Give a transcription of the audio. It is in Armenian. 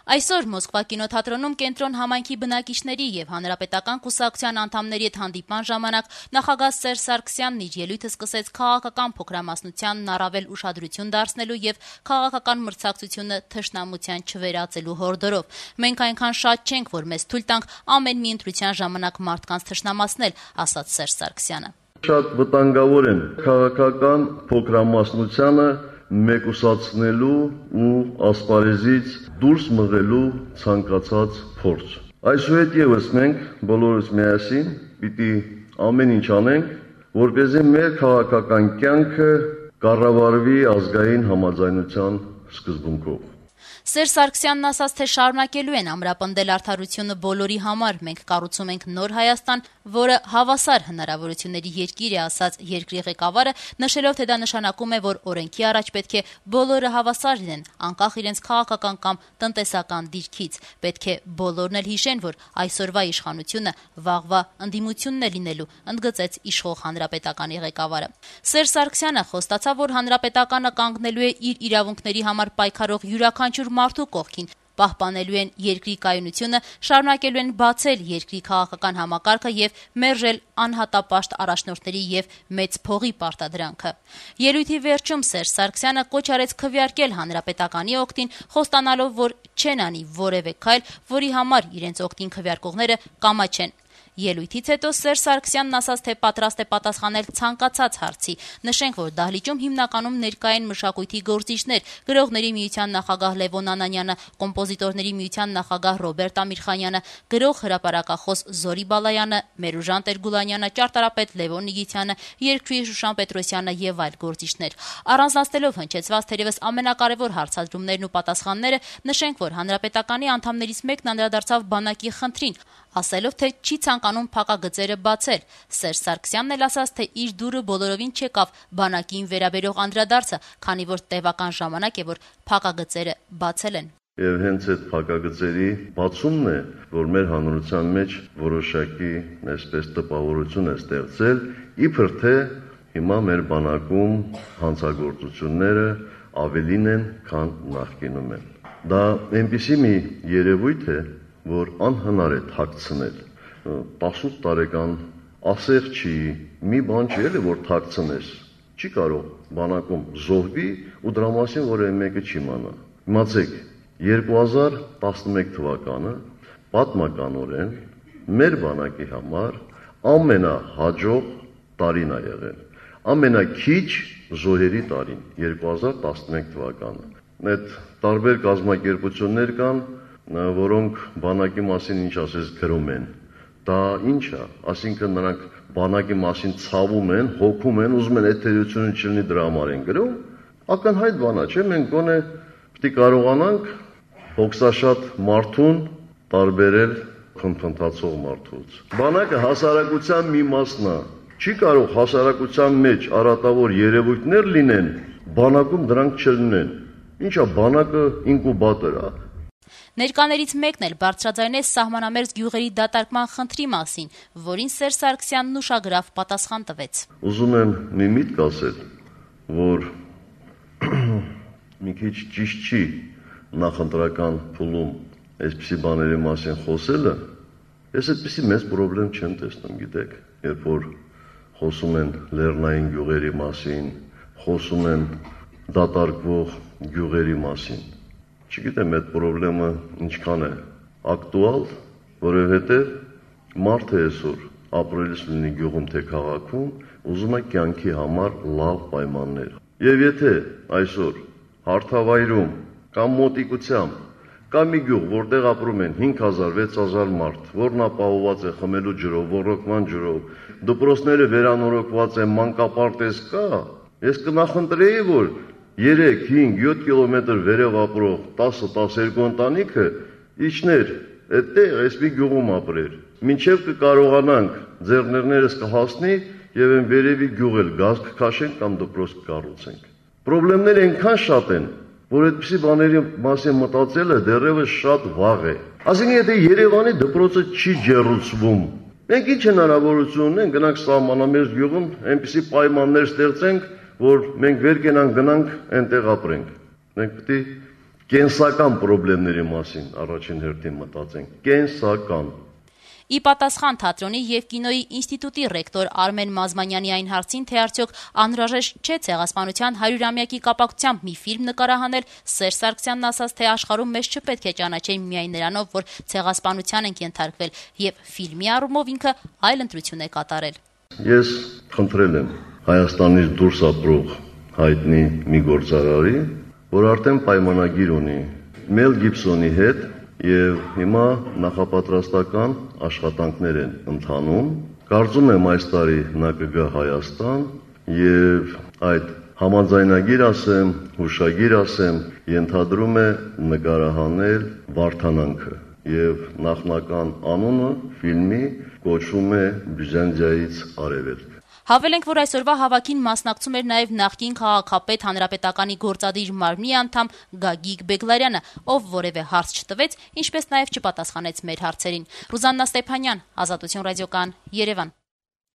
Այսօր Մոսկվա կինոթատրոնում կենտրոն համայնքի բնակիչների եւ հանրապետական կուսակցության անդամների հետ հանդիպման ժամանակ նախագահ Սերժ Սարգսյանն իր ելույթը սկսեց քաղաքական փոքրամասնությանն առավել ուշադրություն դարձնելու եւ քաղաքական մրցակցությունը թշնամության չվերածելու հորդորով։ Մենք այնքան շատ չենք, որ մեզ թույլ տանք ամեն մի ընտրության ժամանակ մարդկանց թշնամացնել, ասաց Սերժ Սարգսյանը։ Շատ վտանգավոր են քաղաքական փոքրամասնությանը մեկուսացնելու ու ասպարեզից դուրս մղելու ցանկացած փորձ։ Այսուհետ եւս մենք բոլորս միասին պիտի ամեն ինչ անենք, որպեսզի մեր քաղաքական կյանքը կառավարվի ազգային համաձայնության սկզբունքով։ Սերժ Սարգսյանն ասաց, թե շարունակելու են ամրապնդել արդարությունը բոլորի համար։ Մենք կառուցում ենք նոր Հայաստան, որը հավասար հնարավորությունների երկիր է, ասաց երկրի ղեկավարը, նշելով, թե դա նշանակում է, որ օրենքի առաջ պետք է բոլորը հավասար լինեն, անկախ իրենց քաղաքական կամ տնտեսական դիրքից։ Պետք է բոլորն էլ հիշեն, որ այսօրվա իշխանությունը վաղվա ընդդիմությունն է լինելու, ընդգծեց իշխող հանրապետականի ղեկավարը։ Սերժ Սարգսյանը խոստացավ, որ հանրապետականը կանգնելու է իր իրավունքների համար պայքարող յուրաքանչյուր մարդու կողքին, պահպանելու են երկրի կայունությունը, շարունակելու են բացել երկրի քաղաքական համակարգը եւ մերժել անհատապաշտ առաջնորդների եւ մեծ փողի պարտադրանքը։ Ելույթի վերջում Սերժ Սարգսյանը կոչ արեց քվեարկել հանրապետականի օգտին, խոստանալով, որ չեն անի որևէ քայլ, որի համար իրենց օգտին քվեարկողները կամաչեն։ Ելույթից հետո Սերժ Սարգսյանն ասաց, թե պատրաստ է պատասխանել ցանկացած հարցի։ Նշենք, որ դահլիճում հիմնականում ներկա են մշակույթի գործիչներ, գրողների միության նախագահ Լևոն Անանյանը, կոմպոզիտորների միության նախագահ Ռոբերտ Ամիրխանյանը, գրող հրապարակախոս Զորի Բալայանը, Մերուժան Տեր-Գուլանյանը, ճարտարապետ Լևոն Նիգիթյանը, երգչուհի Շուշան Պետրոսյանը եւ այլ գործիչներ։ Առանձնացնելով հնչեցված թերևս ամենակարևոր հարցադրումներն ու պատասխանները, նշենք, որ հանրապետականի անդամներից մեկն անդրադարձավ բանակի խնդրին, ասելով, թե չի ցանկանում փակագծերը բացել։ Սերժ Սարգսյանն էլ ասաց, թե իր դուրը բոլորովին չեկավ բանակին վերաբերող անդրադարձը, քանի որ տևական ժամանակ է, որ փակագծերը բացել են։ Եվ հենց այդ փակագծերի բացումն է, որ մեր հանրության մեջ որոշակի այսպես տպավորություն է ստեղծել, իբր թե հիմա մեր բանակում հանցագործությունները ավելին են, քան նախկինում են։ Դա այնպիսի մի երևույթ է, որ անհնար է թաքցնել։ 18 տարեկան ասեղջի մի բան չի էլի, որ թաքցնես։ Չի կարող բանակում զոհվի ու դրա մասին որևէ մեկը չիմանա։ Իմացեք, 2011 թվականը պատմականորեն մեր բանակի համար ամենահաջող տարին է եղել։ Ամենաքիչ զոհերի տարին 2011 թվականը։ Այդ տարբեր կազմակերպություններ կան, որոնք բանակի մասին ինչ ասես գրում են։ Դա ինչ է, այսինքն նրանք բանակի մասին ցավում են, հոգում են, ուզում են էթերությունը չլինի դրա համար են գրում։ Ակնհայտ բան է, չէ՞, մենք գոնե պետք է կարողանանք հոգսաշատ մարդուն տարբերել խնդրածող մարդուց։ Բանակը հասարակության մի մասն է։ Չի կարող հասարակության մեջ արատավոր երևույթներ լինեն, բանակում դրանք չլինեն։ Ինչա բանակը ինկուբատոր է։ Ներկաներից մեկն էլ բարձրաձայնեց սահմանամերձ գյուղերի դատարկման խնդրի մասին, որին Սերժ Սարգսյանն ուշագրավ պատասխան տվեց։ Ուզում եմ մի միտք ասել, որ մի քիչ ճիշտ չի նախընտրական փուլում այսպիսի բաների մասին խոսելը։ Ես այդպիսի մեծ խնդրեմ չեմ տեսնում, գիտեք, երբ որ խոսում են լեռնային գյուղերի մասին, խոսում են դատարկվող գյուղերի մասին։ Չգիտեմ այդ խնդրումը ինչքան է ակտուալ, որովհետև մարդը այսօր ապրելիս լինի գյուղում թե քաղաքում, ուզում է կյանքի համար լավ պայմաններ։ Եվ եթե այսօր հարթավայրում կամ մոտիկությամբ կա մի գյուղ, որտեղ ապրում են 5000-6000 մարդ, որն ապահովված է խմելու ջրով, ոռոգման ջրով, դպրոցները վերանորոգված են, մանկապարտեզ կա, ես կնախընտրեի, որ 3, 5, 7 կիլոմետր վերև ապրող 10-12 ընտանիքը իջներ այդտեղ այսպիսի գյուղում ապրեր։ Մինչև կկարողանանք ձեռներներս կհասնի եւ այն վերևի գյուղել գազ կքաշենք կամ դպրոց կկառուցենք։ Պրոբլեմները այնքան շատ են, որ այդպիսի բաների մասին մտածելը դեռևս շատ վաղ է։ Այսինքն եթե Երևանի դպրոցը չի ջեռուցվում, մենք ինչ հնարավորություն ունենք գնանք սահմանամերձ գյուղում այնպիսի պայմաններ ստեղծենք, որ մենք վեր կենանք գնանք այնտեղ ապրենք։ Մենք պետք է կենսական խնդիրների մասին առաջին հերթին մտածենք, կենսական։ Ի պատասխան թատրոնի եւ կինոյի ինստիտուտի ռեկտոր Արմեն Մազմանյանի այն հարցին, թե արդյոք անհրաժեշտ չէ ցեղասպանության 100-ամյակի կապակցությամբ մի ֆիլմ նկարահանել, Սերժ Սարգսյանն ասաց, թե աշխարհում մեզ չպետք է ճանաչեն միայն նրանով, որ ցեղասպանության ենք ենթարկվել, եւ ֆիլմի առումով ինքը այլ ընտրություն է կատարել։ Ես խնդրել եմ Հայաստանից դուրս ապրող հայտնի մի գործարարի, որ արդեն պայմանագիր ունի Մել Գիբսոնի հետ եւ հիմա նախապատրաստական աշխատանքներ են ընթանում։ Կարծում եմ այս տարի նա կգա Հայաստան եւ այդ համաձայնագիր ասեմ, հուշագիր ասեմ, ենթադրում է նկարահանել Վարդանանքը եւ նախնական անունը ֆիլմի կոչվում է Բյուզանդիայից արևելք։ Հավելենք, որ այսօրվա հավաքին մասնակցում էր նաև նախկին քաղաքապետ Հանրապետականի գործադիր մարմնի անդամ Գագիկ Բեգլարյանը, ով որևէ հարց չտվեց, ինչպես նաև չպատասխանեց մեր հարցերին։ Ռուզաննա Ստեփանյան, Ազատություն ռադիոկայան, Երևան։